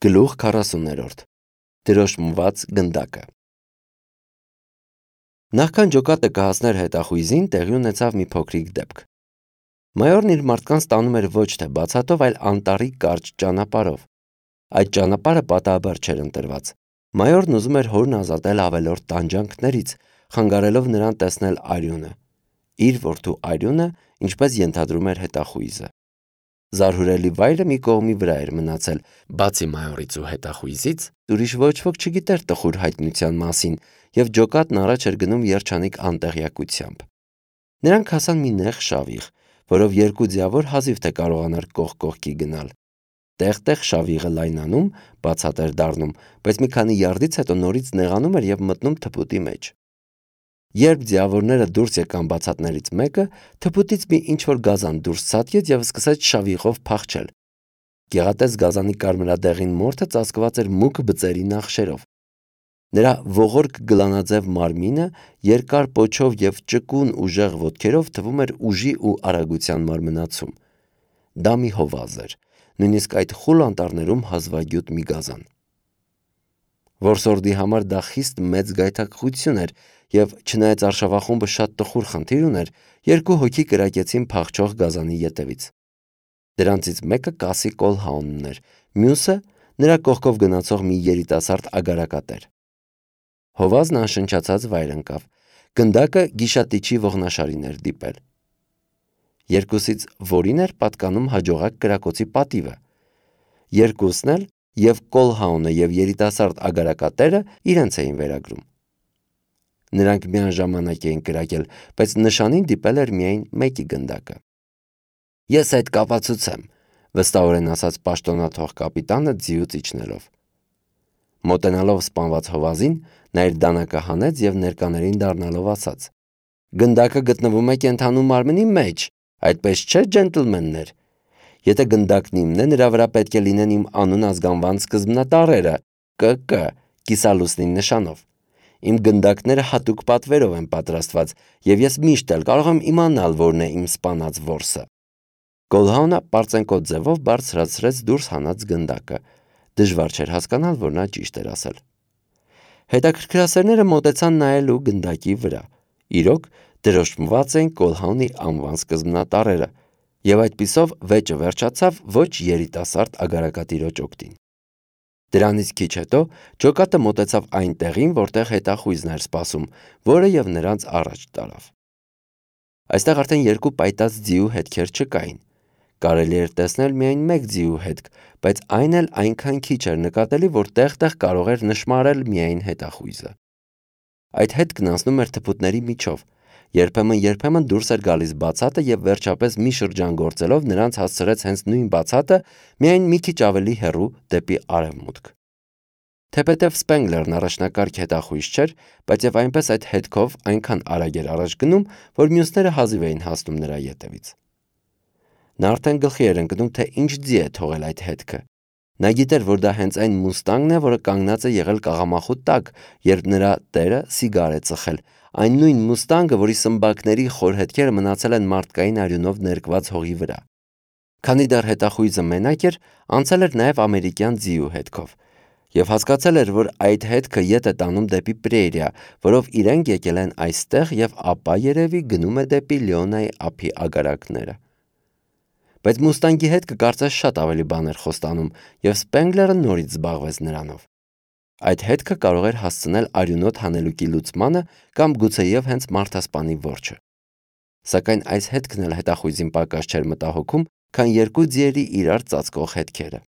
Գլուխ 40-րդ Դրոշմված գնդակը Նախքան ջոկատը կհասներ հետախույզին, տեղի ունեցավ մի փոքրիկ դեպք։ Մայորն իր մարդկանց տանում էր ոչ թե բացատով, այլ անտառի կարճ ճանապարհով։ Այդ ճանապարհը պատահաբար չէր ընտրված։ Մայորն ուզում էր հորն ազատել ավելորդ տանջանքներից, խանգարելով նրան տեսնել արյունը։ Իր որդու արյունը, ինչպես ենթադրում էր հետախույզը։ Զարհուրելի վայրը մի կողմի վրա էր մնացել, բացի մայորից ու հետախույզից, ուրիշ ոչ ոք չգիտեր տխուր հայտնության մասին, եւ ջոկատն առաջ էր գնում երջանիկ անտեղյակությամբ։ Նրանք հասան մի նեղ շավիղ, որով երկու ձիավոր հազիվ թե կարողանար կողք կողքի գնալ։ Տեղ-տեղ շավիղը լայնանում, բացատ էր դառնում, բայց մի քանի յարդից հետո նորից նեղանում էր եւ մտնում թփուտի մեջ։ Երբ ձիավորները դուրս եկան բացատներից մեկը, թփուտից մի ինչ-որ գազան դուրս ցատկեց եւ սկսեց շավիղով փախչել։ Գեղատես գազանի կարմրադեղին մորթը ծածկված էր մուգ բծերի նախշերով։ Նրա ողորկ գլանաձև մարմինը երկար պոչով եւ ճկուն ուժեղ ոտքերով թվում էր ուժի ու արագության մարմնացում։ Դա մի հովազ էր, նույնիսկ այդ խուլ անտառներում հազվագյուտ մի գազան։ Որսորդի համար դա խիստ մեծ գայթակղություն էր, եւ չնայած արշավախումբը շատ տխուր խնդիր ուներ, երկու հոգի կրակեցին փախչող գազանի ետևից։ Դրանցից մեկը Կասի Կոլհաունն էր, մյուսը նրա կողքով գնացող մի երիտասարդ ագարակատեր։ Հովազն անշնչացած վայր ընկավ։ Գնդակը գիշատիչի ողնաշարին էր դիպել։ Երկուսից որին էր պատկանում հաջողակ կրակոցի պատիվը։ Երկուսն էլ, եւ Կոլհաունը եւ երիտասարդ ագարակատերը իրենց էին վերագրում։ Նրանք միաժամանակ էին կրակել, բայց նշանին դիպել էր միայն մեկի գնդակը։ Ես այդ կապացուց եմ, վստահորեն ասաց պաշտոնաթող կապիտանը ձիուց իջնելով։ Մոտենալով սպանված հովազին, նա իր դանակը հանեց եւ ներկաներին դառնալով ասաց. Գնդակը գտնվում է կենդանու մարմնի մեջ, այդպես չէ, ջենտլմեններ։ Եթե գնդակն իմն է, նրա վրա պետք է լինեն իմ անուն ազգանվան սկզբնատառերը, ԿԿ, կիսալուսնի նշանով։ Իմ գնդակները հատուկ պատվերով են պատրաստված, եւ ես միշտ էլ կարող եմ իմանալ, որն է իմ սպանած որսը։ Կոլհաունը պարծենկոտ ձևով բարձրացրեց դուրս հանած գնդակը։ Դժվար չէր հասկանալ, որ նա ճիշտ էր ասել։ Հետաքրքրասերները մոտեցան նայելու գնդակի վրա։ Իրոք, դրոշմված էին Կոլհաունի անվան սկզբնատառերը, եւ այդպիսով վեճը վերջացավ ոչ երիտասարդ ագարակատիրոջ օգտին։ Դրանից քիչ հետո ջոկատը մոտեցավ այն տեղին, որտեղ հետախույզն էր սպասում, որը եւ նրանց առաջ տարավ։ Այստեղ արդեն երկու պայտած ձիու հետքեր չկային։ Կարելի էր տեսնել միայն մեկ ձիու հետք, բայց այն էլ այնքան քիչ էր նկատելի, որ տեղ-տեղ կարող էր նշմարել միայն հետախույզը։ Այդ հետքն անցնում էր թփուտների միջով, երբեմն դուրս էր գալիս բացատը եւ վերջապես մի շրջան գործելով նրանց հասցրեց հենց նույն բացատը, միայն մի քիչ ավելի հեռու դեպի արևմուտք։ Թեպետև Սպենգլերն առաջնակարգ հետախույզ չէր, բայց եւ այնպես այդ հետքով այնքան արագ էր առաջ գնում, որ մյուսները հազիվ էին հասնում նրա ետևից։ Նա արդեն գլխի էր ընկնում, թե ինչ ձի է թողել այդ հետքը։ Նա գիտեր, որ դա հենց այն մուստանգն է, որը կանգնած է եղել կաղամախու տակ, երբ նրա տերը սիգար է ծխել, այն նույն մուստանգը, որի սմբակների խոր հետքերը մնացել են մարդկային արյունով ներկված հողի վրա։ Քանի դեռ հետախույզը մենակ էր, անցել էր նաև ամերիկյան ձիու հետքով, եւ հասկացել էր, որ այդ հետքը ետ է տանում դեպի Պրերիա, որով իրենք եկել են այստեղ եւ ապա երևի գնում է դեպի Լեոնայի ափի ագարակները։ Բայց մուստանգի հետքը կարծես շատ ավելի բան էր խոստանում, եւ Սպենգլերը նորից զբաղվեց նրանով։ Այդ հետքը կարող էր հասցնել արյունոտ հանելուկի լուծմանը կամ գուցեև հենց մարդասպանի որջը։ Սակայն այս հետքն էլ հետախույզին պակաս չէր մտահոգում, քան երկու ձիերի իրար ծածկող հետքերը։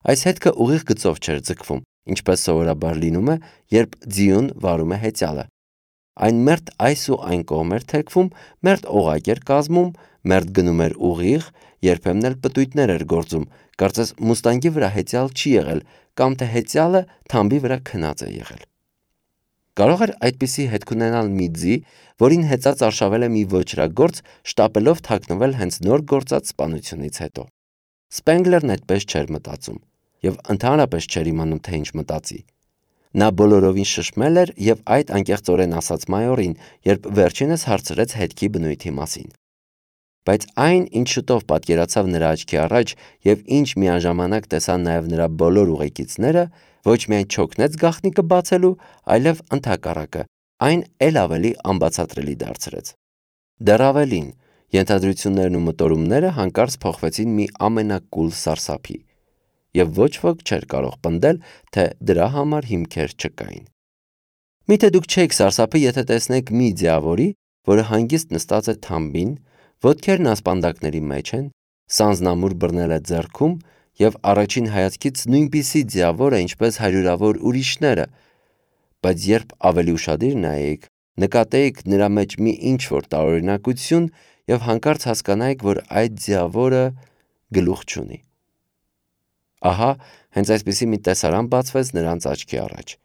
Այս հետքը ուղիղ գծով չէր ձգվում, ինչպես սովորաբար լինում է, երբ ձիուն վարում է հեծյալը։ Այն մերթ այս ու այն կողմ էր թեքվում, մերթ օղակ էր կազմում, մերթ գնում էր ուղիղ, երբեմն էլ պտույտներ էր գործում, կարծես մուստանգի վրա հեծյալ չի եղել, կամ թե հեծյալը թամբի վրա քնած է եղել։ Կարող էր այդպիսի հետք ունենալ մի ձի, որին հեծած արշավել է մի ոճրագործ, շտապելով թաքնվել հենց նոր գործած սպանությունից հետո։ Սպենգլերն այդպես չէր մտածում, եւ ընդհանրապես չէր իմանում, թե ինչ մտածի։ Նա բոլորովին շշմել էր եւ այդ անկեղծորեն ասաց մայորին, երբ վերջինս հարցրեց հետքի բնույթի մասին։ բայց այն, ինչ շուտով պատկերացավ նրա աչքի առաջ և ինչ միաժամանակ տեսան նաև նրա բոլոր ուղեկիցները, ոչ միայն չօգնեց գաղտնիքը բացելու, այլև ընդհակառակը, այն էլ ավելի անբացատրելի դարձրեց։ Դեռ ավելին, ենթադրություններն ու մտորումները հանկարծ փոխվեցին մի ամենակուլ սարսափի, և ոչ ոք չէր կարող պնդել, թե դրա համար հիմքեր չկային։ Միթե դուք չեք սարսափի, եթե տեսնեք մի ձիավորի, որը հանգիստ նստած է թամբին, ոտքերն ասպանդակների մեջ են, սանձնամուր բռնել է ձեռքում և առաջին հայացքից նույնպիսի ձիավոր է, ինչպես հարյուրավոր ուրիշները, բայց երբ ավելի ուշադիր նայեիք, նկատեիք նրա մեջ մի ինչ-որ տարօրինակություն և հանկարծ հասկանայիք, որ այդ ձիավորը գլուխ չունի։ Ահա, հենց այսպիսի մի տեսարան բացվեց նրանց աչքի առաջ։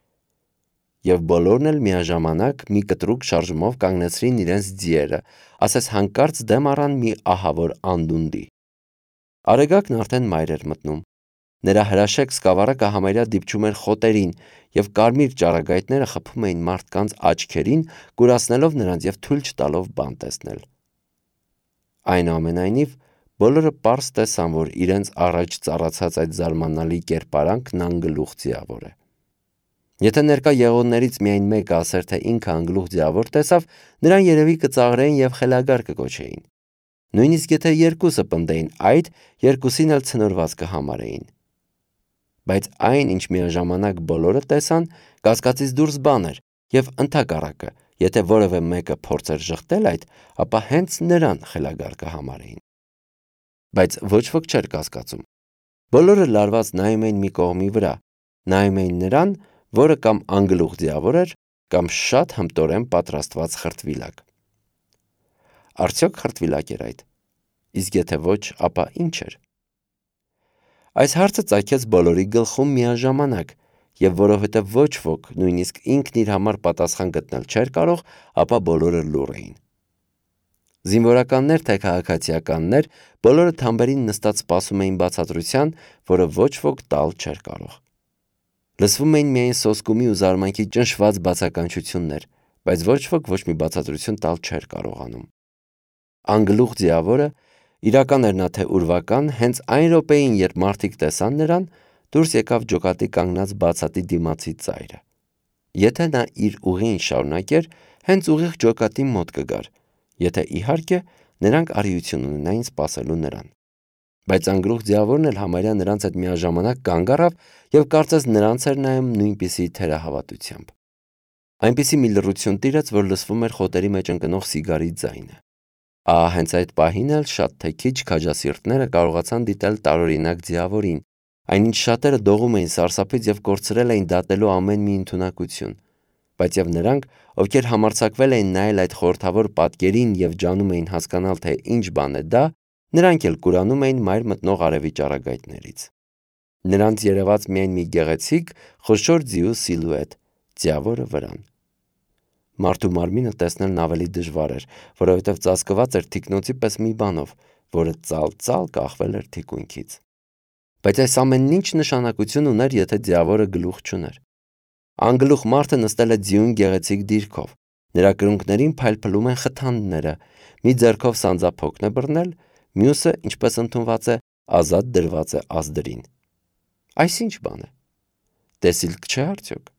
Եվ բոլորն էլ միաժամանակ մի կտրուկ շարժումով կանգնեցրին իրենց ձիերը, ասես հանկարծ դեմ առան մի ահավոր անդունդի։ Արեգակն արդեն մայր էր մտնում։ Նրա հրաշեք սկավառակը համարյա դիպչում էր խոտերին, և կարմիր ճառագայթները խփում էին մարդկանց աչքերին, կուրացնելով նրանց և թույլ չտալով բան տեսնել։ Այնուամենայնիվ, բոլորը պարզ տեսան, որ իրենց առաջ ծառացած այդ զարմանալի կերպարանքն անգլուխ ձիավոր է։ Եթե ներկա եղողներից միայն մեկը ասեր, թե ինքը անգլուխ ձիավոր տեսավ, նրան երևի կծաղրեին և խելագար կկոչեին։ Նույնիսկ եթե երկուսը պնդեին այդ, երկուսին էլ ցնորված կհամարեին։ Բայց այն, ինչ միաժամանակ բոլորը տեսան, կասկածից դուրս բան էր, և ընդհակառակը, եթե որևէ մեկը փորձեր ժխտել այդ, ապա հենց նրան խելագար կհամարեին։ Բայց ոչ ոք չէր կասկածում։ Բոլորը լարված նայում էին մի կողմի վրա, նայում էին նրան, որը կամ անգլուխ ձիավոր էր, կամ շատ հմտորեն պատրաստված խրտվիլակ։ Արդյոք խրտվիլակ էր այդ։ Իսկ եթե ոչ, ապա ինչ էր։ Այս հարցը ծագեց բոլորի գլխում միաժամանակ, և որովհետև ոչ ոք, նույնիսկ ինքն իր համար պատասխան գտնել չէր կարող, ապա բոլորը լուռ էին։ Զինվորականներ թե քաղաքացիականներ, բոլորը թամբերին նստած սպասում էին բացատրության, որը ոչ ոք տալ չէր կարող։ Լսվում էին միայն սոսկումի ու զարմանքի ճնշված բացականչություններ, բայց ոչ ոք ոչ մի բացատրություն տալ չէր կարողանում։ Անգլուխ ձիավորը, իրական էր նա թե ուրվական, հենց այն րոպեին, երբ մարդիկ տեսան նրան, դուրս եկավ ջոկատի կանգնած բացատի դիմացի ծայրը։ Եթե նա իր ուղին շարունակեր, հենց ուղիղ ջոկատի մոտ կգար, եթե իհարկե նրանք արիություն ունենային սպասելու նրան։ Բայց անգլուխ ձիավորն էլ համարյա նրանց հետ միաժամանակ կանգ առավ և կարծես նրանց էր նայում նույնպիսի թերահավատությամբ։ Այնպիսի մի լռություն տիրեց, որ լսվում էր խոտերի մեջ ընկնող սիգարի ձայնը։ Ահա հենց այդ պահին էլ շատ թե քիչ քաջասիրտները կարողացան դիտել տարօրինակ ձիավորին, այնինչ շատերը դողում էին սարսափից և կորցրել էին դատելու ամեն մի ընդունակություն, բայց և նրանք, ովքեր համարձակվել էին նայել այդ խորհրդավոր պատկերին և ջանում էին հասկանալ, թե ինչ բան է դա, նրանք էլ կուրանում էին մայր մտնող արևի ճառագայթներից։ Նրանց երևաց միայն մի գեղեցիկ, խոշոր ձիու սիլուետ, ձիավորը վրան։ Մարդու մարմինը տեսնելն ավելի դժվար էր, որովհետև ծածկված էր թիկնոցի պես մի բանով, որը ծալ-ծալ կախվել էր թիկունքից։ Բայց այս ամենն ինչ նշանակություն ուներ, եթե ձիավորը գլուխ չուներ։ Անգլուխ մարդը նստել է ձիուն գեղեցիկ դիրքով, նրա կրունկներին փայլփլում են խթանները, մի ձեռքով սանձափոկն է բռնել, մյուսը, ինչպես ընդունված է, ազատ դրված է ազդրին։ Այս ինչ բան է։ Տեսիլք չէ արդյոք։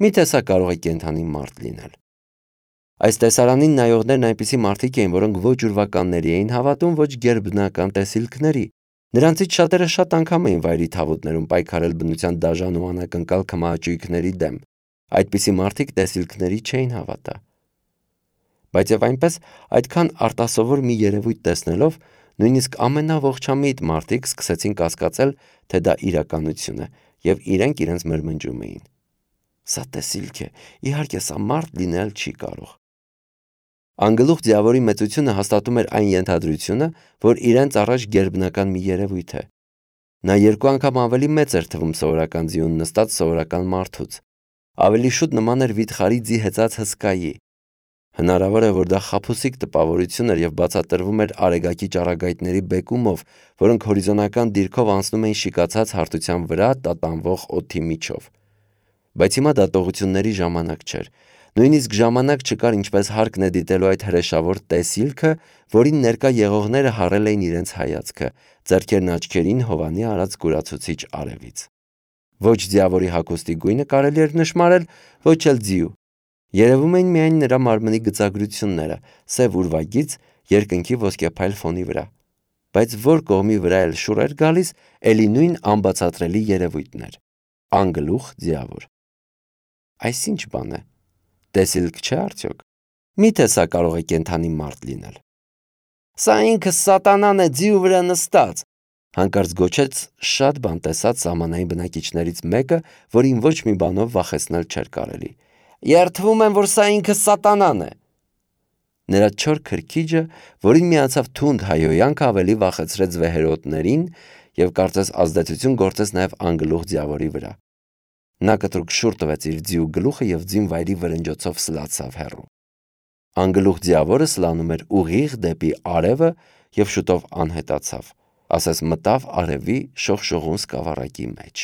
Միթե սա կարող է կենդանի մարդ լինել։ Այս տեսարանին նայողներն այնպիսի մարդիկ էին, որոնք ոչ ուրվականների էին հավատում, ոչ գերբնական տեսիլքների։ Նրանցից շատերը շատ անգամ էին վայրի թավուտներում պայքարել բնության դաժան ու անակնկալ քմահաճույքների դեմ։ Այդպիսի մարդիկ տեսիլքների չէին հավատա։ Բայց և այնպես, այդքան արտասովոր մի երևույթ տեսնելով, նույնիսկ ամենաողջամիտ մարդիկ սկսեցին կասկածել, թե դա իրականություն է, և իրենք իրենց մրմնջում էին։ Սա տեսիլք է, իհարկե սա մարդ լինել չի կարող։ Անգլուխ ձիավորի մեծությունը հաստատում էր այն ենթադրությունը, որ իրենց առաջ գերբնական մի երևույթ է։ Նա երկու անգամ ավելի մեծ էր թվում սովորական ձիուն նստած սովորական մարդուց։ Ավելի շուտ նման էր վիթխարի ձի հեծած հսկայի։ Հնարավոր է, որ դա խաբուսիկ տպավորություն էր և բացատրվում էր արեգակի ճառագայթների բեկումով, որոնք հորիզոնական դիրքով անցնում էին շիկացած հարթության վրա տատանվող օդի միջով։ Բայց հիմա դատողությունների ժամանակ չէր։ Նույնիսկ ժամանակ չկար ինչպես հարկն է դիտելու այդ հրեշավոր տեսիլքը, որին ներկա եղողները հառել էին իրենց հայացքը, ձեռքերն աչքերին Հովանի արած կուրացուցիչ արևից։ Ոչ ձիավորի հագուստի գույնը կարելի էր նշմարել, ոչ էլ ձիու։ Երևում էին միայն նրա մարմնի գծագրությունները, սև ուրվագիծ, երկնքի ոսկեփայլ ֆոնի վրա։ Բայց որ կողմի վրա էլ շուռ էր գալիս, էլի նույն անբացատրելի երևույթն էր։ Անգլուխ ձիավոր։ Այս ինչ բան է։ Տեսիլք չէ արդյոք։ Միթե սա կարող է կենդանի մարդ լինել։ Սա ինքը սատանան է ձիու վրա նստած, հանկարծ գոչեց շատ բան տեսած սահմանային բնակիչներից մեկը, որին ոչ մի բանով վախեցնել չէր կարելի։ Երդվում եմ, որ սա ինքը սատանան է։ Նրա չոր քրքիջը, որին միացավ թունդ հայոյանքը, ավելի վախեցրեց վեհերոտներին և կարծես ազդեցություն գործեց նաև անգլուխ ձիավորի վրա։ Նա կտրուկ շուռ տվեց իր ձիու գլուխը և ձին վայրի վրնջոցով սլացավ հեռու։ Անգլուխ ձիավորը սլանում էր ուղիղ դեպի արևը և շուտով անհետացավ, ասես մտավ արևի շողշողուն սկավառակի մեջ։